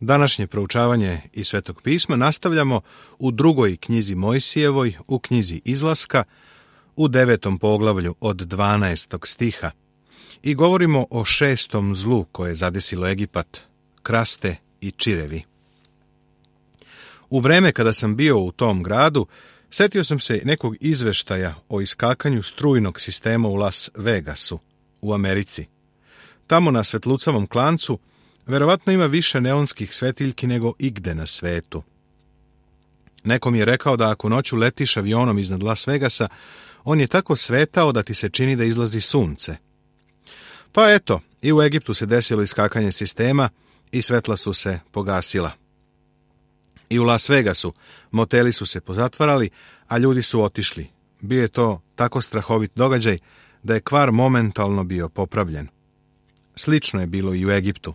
Današnje proučavanje iz Svetog pisma nastavljamo u drugoj knjizi Mojsijevoj, u knjizi Izlaska, u 9. poglavlju od 12. stiha i govorimo o 6. zlu koje je zadesilo Egipat, kraste i čirevi. U vreme kada sam bio u tom gradu, setio sam se nekog izveštaja o iskakanju strujnog sistema u Las Vegasu, u Americi. Tamo na svetlucavom klancu verovatno ima više neonskih svetiljki nego igde na svetu. Neko mi je rekao da ako noću letiš avionom iznad Las Vegasa, on je tako svetao da ti se čini da izlazi sunce. Pa eto, i u Egiptu se desilo iskakanje sistema i svetla su se pogasila. I u Las Vegasu moteli su se pozatvarali, a ljudi su otišli. Bio je to tako strahovit događaj da je kvar momentalno bio popravljen. Slično je bilo i u Egiptu.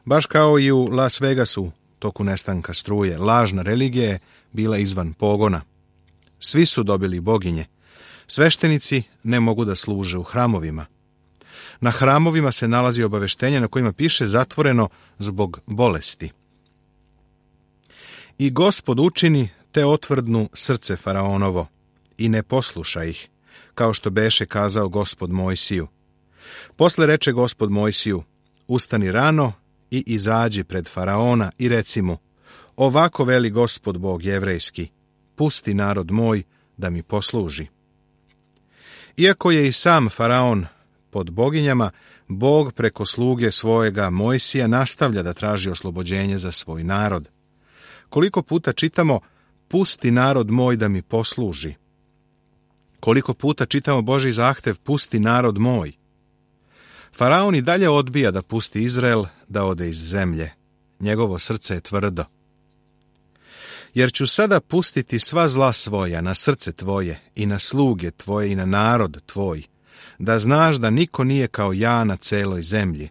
Baš kao i u Las Vegasu, toku nestanka struje, lažna religija je bila izvan pogona. Svi su dobili boginje. Sveštenici ne mogu da služe u hramovima. Na hramovima se nalazi obaveštenje na kojima piše zatvoreno zbog bolesti. I Gospod učini te otvrdnu srce faraonovo i ne posluša ih, kao što beše kazao Gospod Mojsiju. Posle reče Gospod Mojsiju, ustani rano i izađi pred faraona i reci mu, ovako veli Gospod Bog jevrejski, pusti narod moj da mi posluži. Iako je i sam faraon pod boginjama, Bog preko sluge svojega Mojsija nastavlja da traži oslobođenje za svoj narod. Koliko puta čitamo, pusti narod moj da mi posluži. Koliko puta čitamo Božji zahtev, pusti narod moj. Faraon i dalje odbija da pusti Izrael da ode iz zemlje. Njegovo srce je tvrdo. Jer ću sada pustiti sva zla svoja na srce tvoje i na sluge tvoje i na narod tvoj, da znaš da niko nije kao ja na celoj zemlji.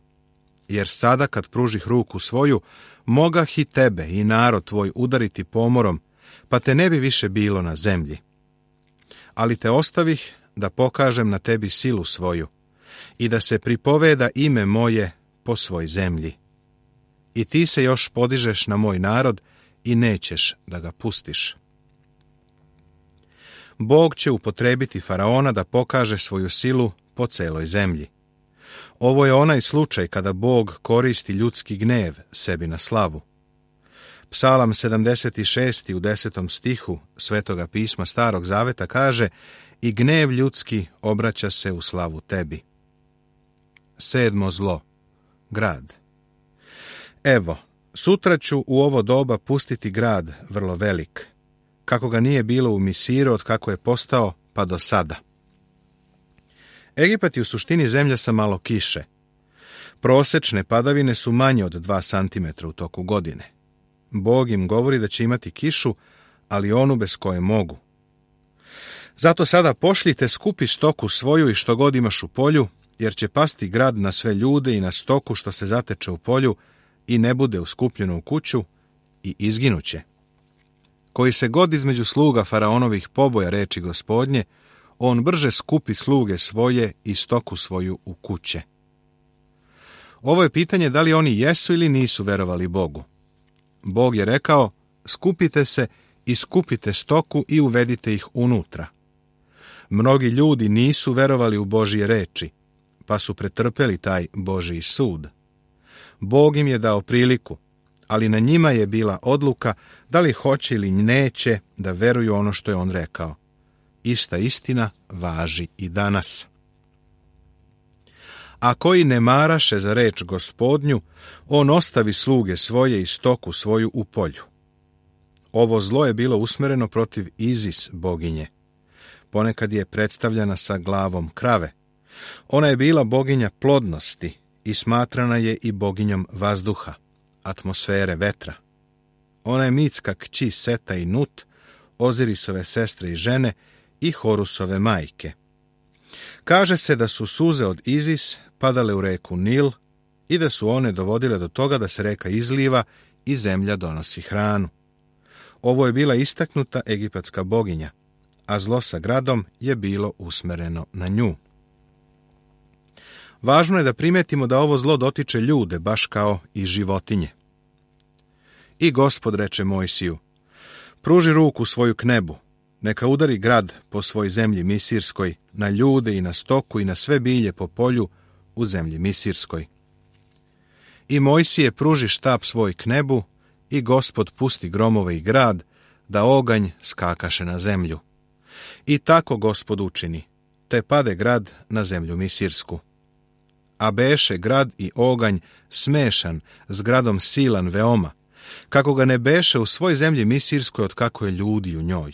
Jer sada kad pružih ruku svoju, mogah i tebe i narod tvoj udariti pomorom, pa te ne bi više bilo na zemlji. Ali te ostavih da pokažem na tebi silu svoju i da se pripoveda ime moje po svoj zemlji. I ti se još podižeš na moj narod i nećeš da ga pustiš. Bog će upotrebiti faraona da pokaže svoju silu po celoj zemlji. Ovo je onaj slučaj kada Bog koristi ljudski gnev sebi na slavu. Psalam 76. u 10. stihu Svetoga pisma Starog Zaveta kaže i gnev ljudski obraća se u slavu tebi. 7. zlo. Grad. Evo, sutra ću u ovo doba pustiti grad vrlo velik, kako ga nije bilo u Misiru od kako je postao pa do sada. Egipat je u suštini zemlja sa malo kiše. Prosečne padavine su manje od 2 cm u toku godine. Bog im govori da će imati kišu, ali onu bez koje mogu. Zato sada pošljite skupi stoku svoju i što god imaš u polju, jer će pasti grad na sve ljude i na stoku što se zateče u polju i ne bude uskupljeno u kuću i izginuće. Koji se god između sluga faraonovih poboja reči Gospodnje, on brže skupi sluge svoje i stoku svoju u kuće. Ovo je pitanje da li oni jesu ili nisu verovali Bogu. Bog je rekao, skupite se i skupite stoku i uvedite ih unutra. Mnogi ljudi nisu verovali u Božje reči, pa su pretrpeli taj Božji sud. Bog im je dao priliku, ali na njima je bila odluka da li hoće ili neće da veruju ono što je on rekao. Ista istina važi i danas. A koji ne maraše za reč Gospodnju, on ostavi sluge svoje i stoku svoju u polju. Ovo zlo je bilo usmereno protiv Izis boginje. Ponekad je predstavljana sa glavom krave. Ona je bila boginja plodnosti i smatrana je i boginjom vazduha, atmosfere vetra. Ona je mitska kći Seta i Nut, Ozirisove sestre i žene i Horusove majke. Kaže se da su suze od Izis padale u reku Nil i da su one dovodile do toga da se reka izliva i zemlja donosi hranu. Ovo je bila istaknuta egipatska boginja, a zlo sa gradom je bilo usmereno na nju. Važno je da primetimo da ovo zlo dotiče ljude, baš kao i životinje. I Gospod reče Mojsiju: pruži ruku svoju k nebu, neka udari grad po svoj zemlji misirskoj, na ljude i na stoku i na sve bilje po polju u zemlji misirskoj. I Mojsije pruži štap svoj k nebu, i Gospod pusti gromove i grad, da oganj skakaše na zemlju. I tako Gospod učini, te pade grad na zemlju misirsku. A beše grad i oganj smešan, s gradom silan veoma, kako ga ne beše u svoj zemlji misirskoj od kako je ljudi u njoj.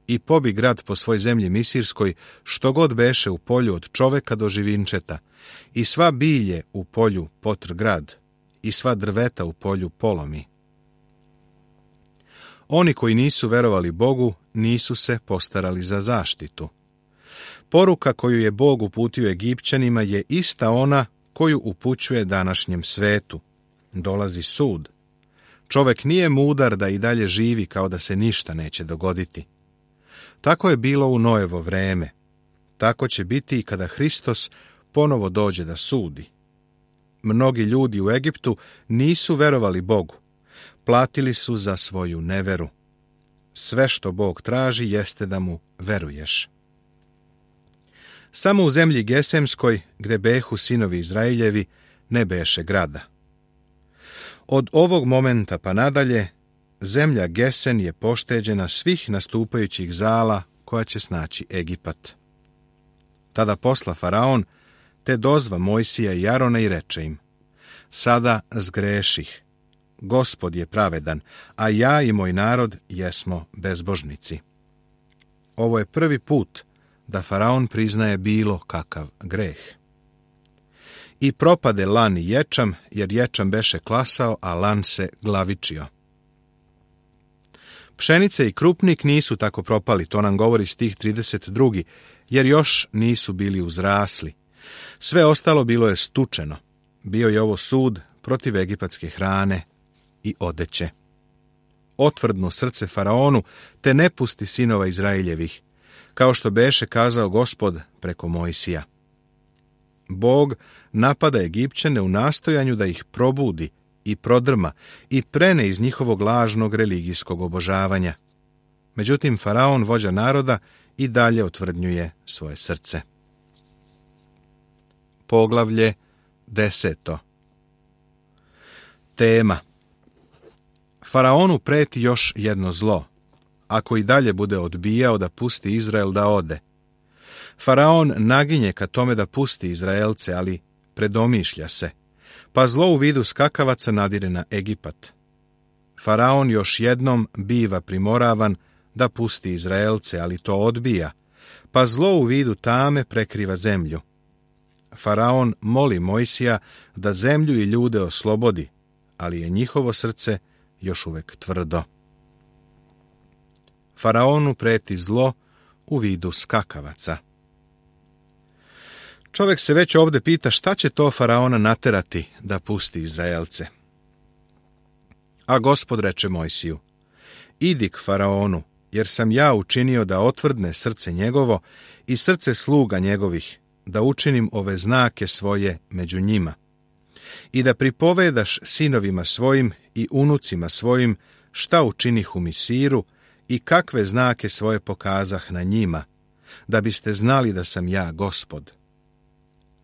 I pobi grad po svoj zemlji misirskoj, što god beše u polju od čoveka do živinčeta, i sva bilje u polju potr grad, i sva drveta u polju polomi. Oni koji nisu verovali Bogu, nisu se postarali za zaštitu. Poruka koju je Bog uputio Egipćanima je ista ona koju upućuje današnjem svetu. Dolazi sud. Čovek nije mudar da i dalje živi kao da se ništa neće dogoditi. Tako je bilo u Noevo vreme. Tako će biti i kada Hristos ponovo dođe da sudi. Mnogi ljudi u Egiptu nisu verovali Bogu. Platili su za svoju neveru. Sve što Bog traži jeste da mu veruješ. Samo u zemlji Gesemskoj, gde behu sinovi Izraeljevi, ne beše grada. Od ovog momenta pa nadalje, zemlja Gesen je pošteđena svih nastupajućih zala koja će snaći Egipat. Tada posla Faraon, te dozva Mojsija i Arona i reče im: sada zgreših. Gospod je pravedan, a ja i moj narod jesmo bezbožnici. Ovo je prvi put da Faraon priznaje bilo kakav greh. I propade lan i ječam, jer ječam beše klasao, a lan se glavičio. Pšenice i krupnik nisu tako propali, to nam govori stih 32, jer još nisu bili uzrasli. Sve ostalo bilo je stučeno. Bio je ovo sud protiv egipatske hrane i odeće. Otvrdnu srce Faraonu, te ne pusti sinova Izraeljevih, kao što beše kazao Gospod preko Mojsija. Bog napada Egipćane u nastojanju da ih probudi i prodrma i prene iz njihovog lažnog religijskog obožavanja. Međutim, Faraon, vođa naroda, i dalje otvrdnjuje svoje srce. Poglavlje 10. Tema: Faraonu preti još jedno zlo, ako i dalje bude odbijao da pusti Izrael da ode. Faraon naginje ka tome da pusti Izraelce, ali predomišlja se, pa zlo u vidu skakavaca nadire na Egipat. Faraon još jednom biva primoravan da pusti Izraelce, ali to odbija, pa zlo u vidu tame prekriva zemlju. Faraon moli Mojsija da zemlju i ljude oslobodi, ali je njihovo srce još uvek tvrdo. Faraonu preti zlo u vidu skakavaca. Čovjek se već ovdje pita šta će to Faraona naterati da pusti Izraelce. A Gospod reče Mojsiju: idi k Faraonu, jer sam ja učinio da otvrdne srce njegovo i srce sluga njegovih, da učinim ove znake svoje među njima, i da pripovedaš sinovima svojim i unucima svojim šta učinih u Misiru i kakve znake svoje pokazah na njima, da biste znali da sam ja Gospod.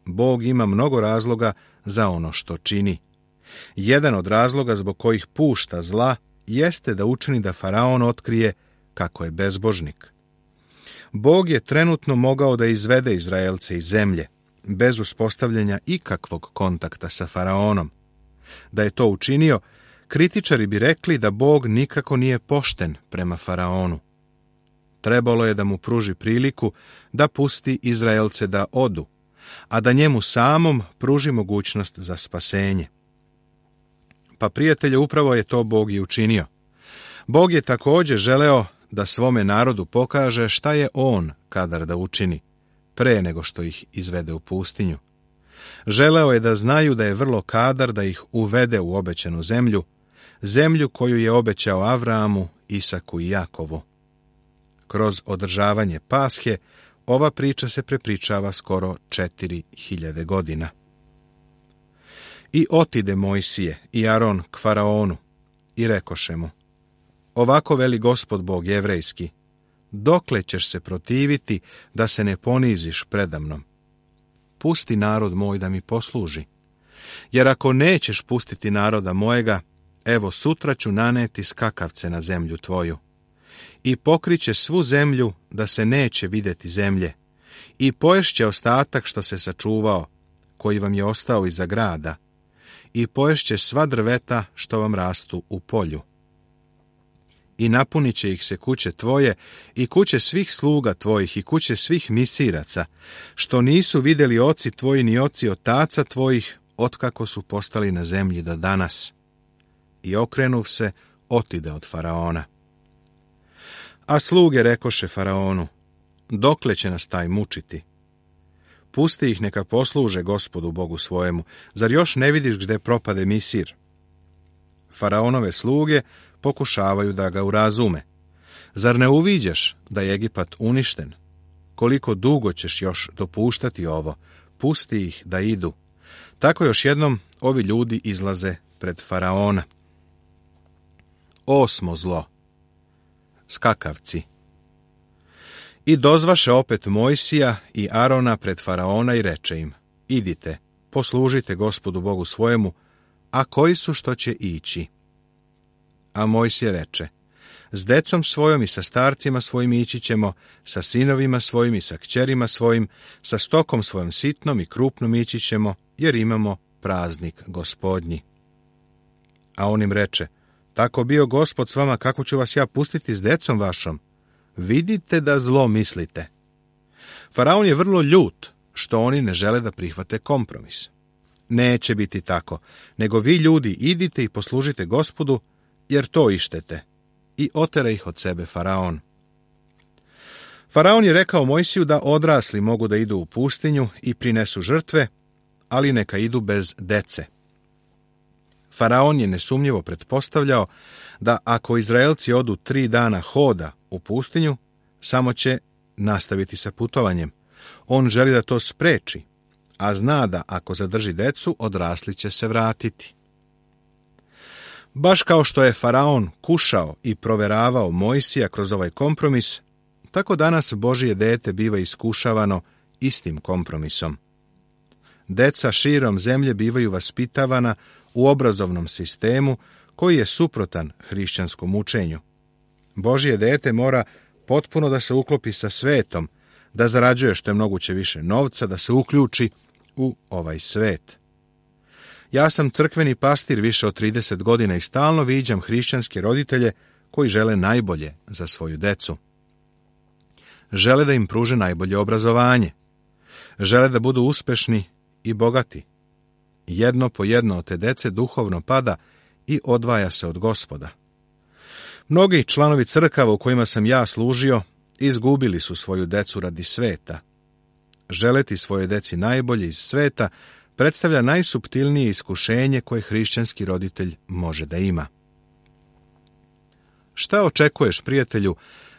Bog ima mnogo razloga za ono što čini. Jedan od razloga zbog kojih pušta zla jeste da učini da Faraon otkrije kako je bezbožnik. Bog je trenutno mogao da izvede Izraelce iz zemlje, bez uspostavljanja ikakvog kontakta sa Faraonom. Da je to učinio, kritičari bi rekli da Bog nikako nije pošten prema Faraonu. Trebalo je da mu pruži priliku da pusti Izraelce da odu, a da njemu samom pruži mogućnost za spasenje. Pa prijatelje, upravo je to Bog i učinio. Bog je također želeo da svome narodu pokaže šta je on kadar da učini, pre nego što ih izvede u pustinju. Želeo je da znaju da je vrlo kadar da ih uvede u obećanu zemlju, zemlju koju je obećao Avramu, Isaku i Jakovu. Kroz održavanje Pashe ova priča se prepričava skoro 4000 godina. I otide Mojsije i Aron k Faraonu, i rekoše mu: Ovako veli Gospod Bog jevrejski, dokle ćeš se protiviti da se ne poniziš predamnom? Pusti narod moj da mi posluži. Jer ako nećeš pustiti naroda mojega, evo sutra ću naneti skakavce na zemlju tvoju. I pokriće svu zemlju da se neće vidjeti zemlje. I poješće ostatak što se sačuvao, koji vam je ostao iza grada. I poješće sva drveta što vam rastu u polju. I napunit će ih se kuće tvoje i kuće svih sluga tvojih i kuće svih misiraca, što nisu vidjeli oci tvoji ni oci otaca tvojih, otkako su postali na zemlji do danas. I okrenuv se, otide od faraona. A sluge rekoše faraonu: Dokle će nas taj mučiti? Pusti ih neka posluže Gospodu Bogu svojemu, zar još ne vidiš gde propade Misir? Faraonove sluge pokušavaju da ga urazume. Zar ne uviđaš da je Egipat uništen? Koliko dugo ćeš još dopuštati ovo? Pusti ih da idu. Tako još jednom ovi ljudi izlaze pred faraona. 8. zlo. Skakavci. I dozvaše opet Mojsija i Arona pred faraona i reče im: Idite, poslužite Gospodu Bogu svojemu, a koji su što će ići? A Mojsije reče: S decom svojom i sa starcima svojim ići ćemo, sa sinovima svojim i sa kćerima svojim, sa stokom svojom sitnom i krupnom ići ćemo, jer imamo praznik Gospodnji. A on im reče: Tako bio Gospod s vama, kako ću vas ja pustiti s decom vašom? Vidite da zlo mislite. Faraon je vrlo ljut što oni ne žele da prihvate kompromis. Neće biti tako, nego vi ljudi idite i poslužite Gospodu, jer to ištete. I otera ih od sebe faraon. Faraon je rekao Mojsiju da odrasli mogu da idu u pustinju i prinesu žrtve, ali neka idu bez dece. Faraon je nesumnjivo pretpostavljao da ako Izraelci odu 3 dana hoda u pustinju, samo će nastaviti sa putovanjem. On želi da to spreči, a zna da ako zadrži decu, odrasli će se vratiti. Baš kao što je faraon kušao i proveravao Mojsija kroz ovaj kompromis, tako danas Božje dete biva iskušavano istim kompromisom. Deca širom zemlje bivaju vaspitavana u obrazovnom sistemu koji je suprotan hrišćanskom učenju. Božje dete mora potpuno da se uklopi sa svetom, da zarađuje što je moguće više novca, da se uključi u ovaj svet. Ja sam crkveni pastir više od 30 godina i stalno viđam hrišćanske roditelje koji žele najbolje za svoju decu. Žele da im pruže najbolje obrazovanje. Žele da budu uspešni i bogati. Jedno po jedno od te dece duhovno pada i odvaja se od Gospoda. Mnogi članovi crkava u kojima sam ja služio izgubili su svoju decu radi sveta. Želeti svojoj deci najbolje iz sveta predstavlja najsuptilnije iskušenje koje hrišćanski roditelj može da ima. Šta očekuješ, prijatelju,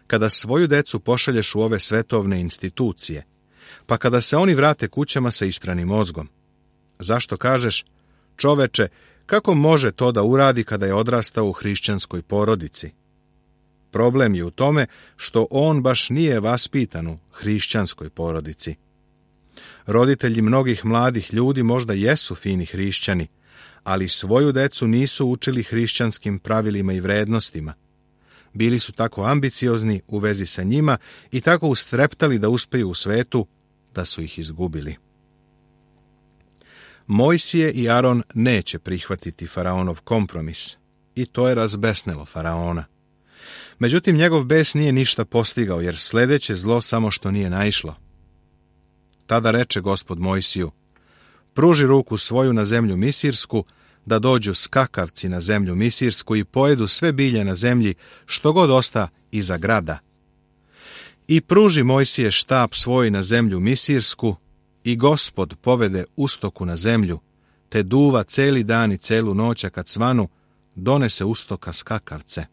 kada svoju decu pošalješ u ove svetovne institucije, pa kada se oni vrate kućama sa ispranim mozgom? Zašto kažeš: čoveče, kako može to da uradi kada je odrastao u hrišćanskoj porodici? Problem je u tome što on baš nije vaspitan u hrišćanskoj porodici. Roditelji mnogih mladih ljudi možda jesu fini hrišćani, ali svoju decu nisu učili hrišćanskim pravilima i vrednostima. Bili su tako ambiciozni u vezi sa njima i tako ustreptali da uspeju u svetu, da su ih izgubili. Mojsije i Aron neće prihvatiti faraonov kompromis i to je razbesnelo faraona. Međutim, njegov bes nije ništa postigao, jer sledeće zlo samo što nije naišlo. Tada reče Gospod Mojsiju: pruži ruku svoju na zemlju Misirsku, da dođu skakavci na zemlju Misirsku i pojedu sve bilje na zemlji, što god osta iza grada. I pruži Mojsije štap svoj na zemlju Misirsku, i Gospod povede ustoku na zemlju, te duva celi dan i celu noć, a kad svanu, donese ustoka skakavce.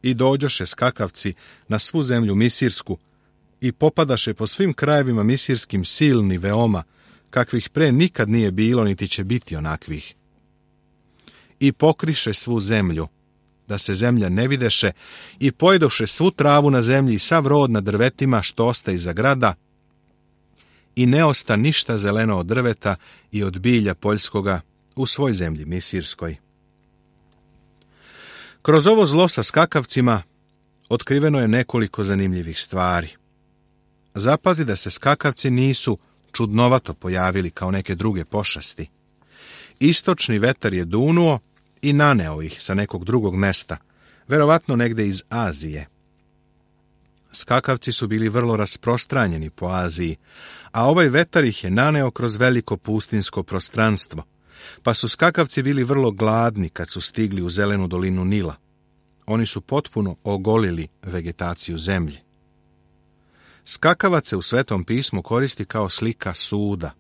I dođoše skakavci na svu zemlju Misirsku i popadaše po svim krajevima misirskim silni veoma, kakvih pre nikad nije bilo, niti će biti onakvih. I pokriše svu zemlju, da se zemlja ne videše, i pojedoše svu travu na zemlji i sav rod na drvetima što osta iza grada, i ne osta ništa zeleno od drveta i od bilja poljskoga u svoj zemlji misirskoj. Kroz ovo zlo sa skakavcima otkriveno je nekoliko zanimljivih stvari. Zapazi da se skakavci nisu čudnovato pojavili kao neke druge pošasti. Istočni vetar je dunuo i naneo ih sa nekog drugog mesta, verovatno negde iz Azije. Skakavci su bili vrlo rasprostranjeni po Aziji, a ovaj vetar ih je naneo kroz veliko pustinsko prostranstvo, pa su skakavci bili vrlo gladni kad su stigli u zelenu dolinu Nila. Oni su potpuno ogolili vegetaciju zemlje. Skakavac se u Svetom pismu koristi kao slika suda.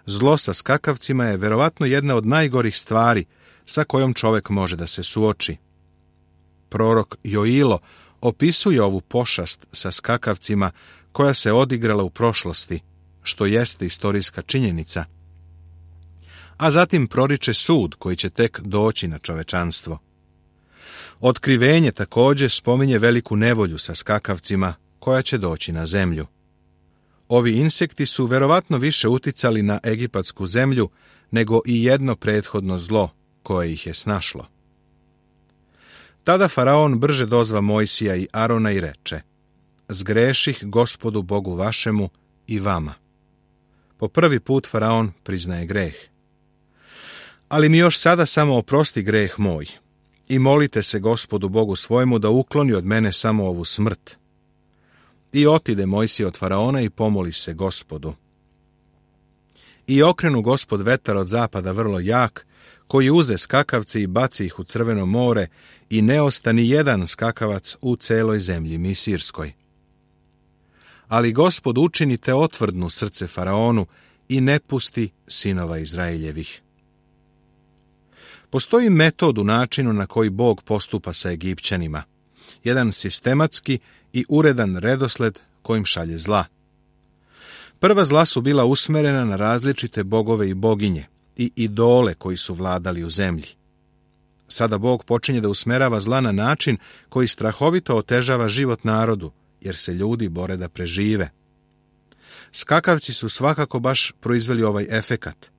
Zlo sa skakavcima je verovatno jedna od najgorih stvari sa kojom čovjek može da se suoči. Prorok Joilo opisuje ovu pošast sa skakavcima koja se odigrala u prošlosti, što jeste istorijska činjenica, a zatim proriče sud koji će tek doći na čovečanstvo. Otkrivenje također spominje veliku nevolju sa skakavcima koja će doći na zemlju. Ovi insekti su verovatno više uticali na egipatsku zemlju nego i jedno prethodno zlo koje ih je snašlo. Tada faraon brže dozva Mojsija i Arona i reče: zgreših Gospodu Bogu vašemu i vama. Po prvi put faraon priznaje greh. Ali mi još sada samo oprosti greh moj i molite se Gospodu Bogu svojemu da ukloni od mene samo ovu smrt. I otide Mojsije od faraona i pomoli se Gospodu. I okrenu Gospod vetar od zapada vrlo jak, koji uze skakavce i baci ih u Crveno more, i ne ostani jedan skakavac u celoj zemlji misirskoj. Ali Gospod učinite otvrdnu srce faraonu i ne pusti sinova Izraeljevih. Postoji metod u načinu na koji Bog postupa sa Egipćanima, jedan sistematski i uredan redosled kojim šalje zla. Prva zla su bila usmerena na različite bogove i boginje i idole koji su vladali u zemlji. Sada Bog počinje da usmerava zla na način koji strahovito otežava život narodu, jer se ljudi bore da prežive. Skakavci su svakako baš proizveli ovaj efekat,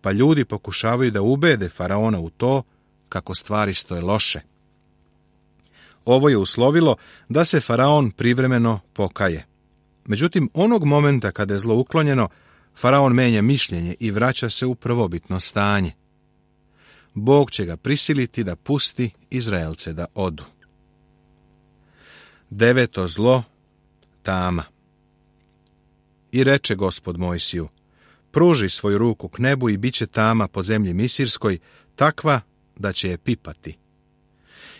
pa ljudi pokušavaju da ubede faraona u to kako stvari stoje loše. Ovo je uslovilo da se faraon privremeno pokaje. Međutim, onog momenta kada je zlo uklonjeno, faraon menja mišljenje i vraća se u prvobitno stanje. Bog će ga prisiliti da pusti Izraelce da odu. 9. zlo, tama. I reče Gospod Mojsiju: pruži svoju ruku k nebu i bit će tama po zemlji misirskoj, takva da će je pipati.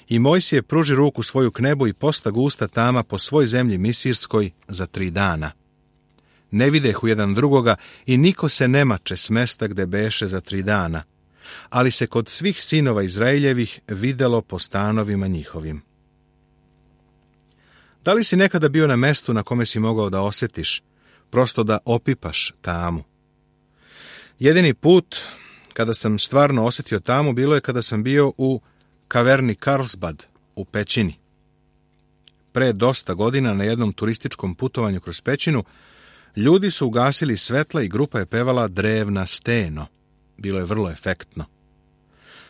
I Mojsije pruži ruku svoju k nebu i posta gusta tama po svoj zemlji misirskoj za 3 dana. Ne videhu jedan drugoga i niko se ne mače s mesta gde beše za 3 dana, ali se kod svih sinova Izraeljevih videlo po stanovima njihovim. Da li si nekada bio na mestu na kome si mogao da osjetiš, prosto da opipaš tamu? Jedini put kada sam stvarno osjetio tamu bilo je kada sam bio u kaverni Karlsbad u pećini. Pre dosta godina na jednom turističkom putovanju kroz pećinu ljudi su ugasili svetla i grupa je pevala Drevna steno. Bilo je vrlo efektno.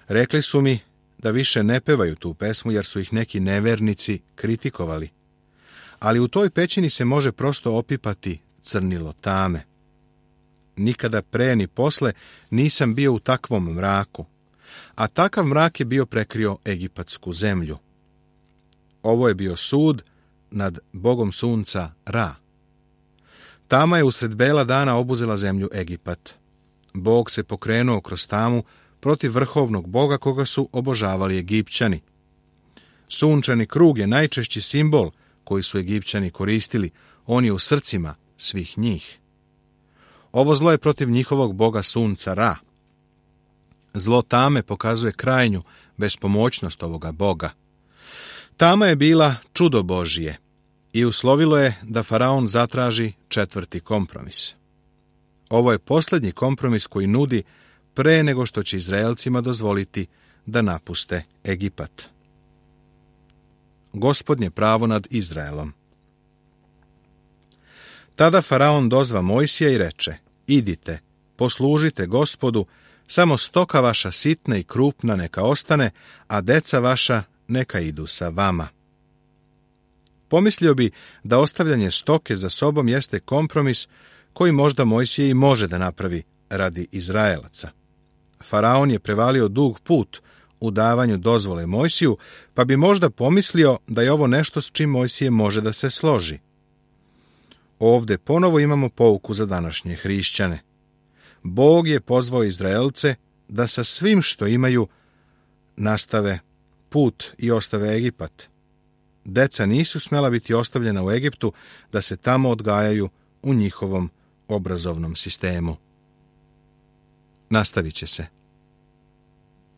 Rekli su mi da više ne pevaju tu pesmu jer su ih neki nevernici kritikovali. Ali u toj pećini se može prosto opipati crnilo tame. Nikada pre ni posle nisam bio u takvom mraku, a takav mrak je bio prekrio egipatsku zemlju. Ovo je bio sud nad bogom sunca Ra. Tama je usred bela dana obuzela zemlju Egipat. Bog se pokrenuo kroz tamu protiv vrhovnog boga koga su obožavali Egipćani. Sunčani krug je najčešći simbol koji su Egipćani koristili, on je u srcima svih njih. Ovo zlo je protiv njihovog boga sunca Ra. Zlo tame pokazuje krajnju bespomoćnost ovoga boga. Tama je bila čudo Božije i uslovilo je da faraon zatraži 4. kompromis. Ovo je posljednji kompromis koji nudi pre nego što će Izraelcima dozvoliti da napuste Egipat. gospodnje pravo nad Izraelom. Tada faraon dozva Mojsija i reče: idite, poslužite Gospodu, samo stoka vaša sitna i krupna neka ostane, a deca vaša neka idu sa vama. Pomislio bi da ostavljanje stoke za sobom jeste kompromis koji možda Mojsije i može da napravi radi Izraelaca. Faraon je prevalio dug put u davanju dozvole Mojsiju, pa bi možda pomislio da je ovo nešto s čim Mojsije može da se složi. Ovde ponovo imamo pouku za današnje hrišćane. Bog je pozvao Izraelce da sa svim što imaju nastave put i ostave Egipat. Deca nisu smela biti ostavljena u Egiptu da se tamo odgajaju u njihovom obrazovnom sistemu. Nastavit će se.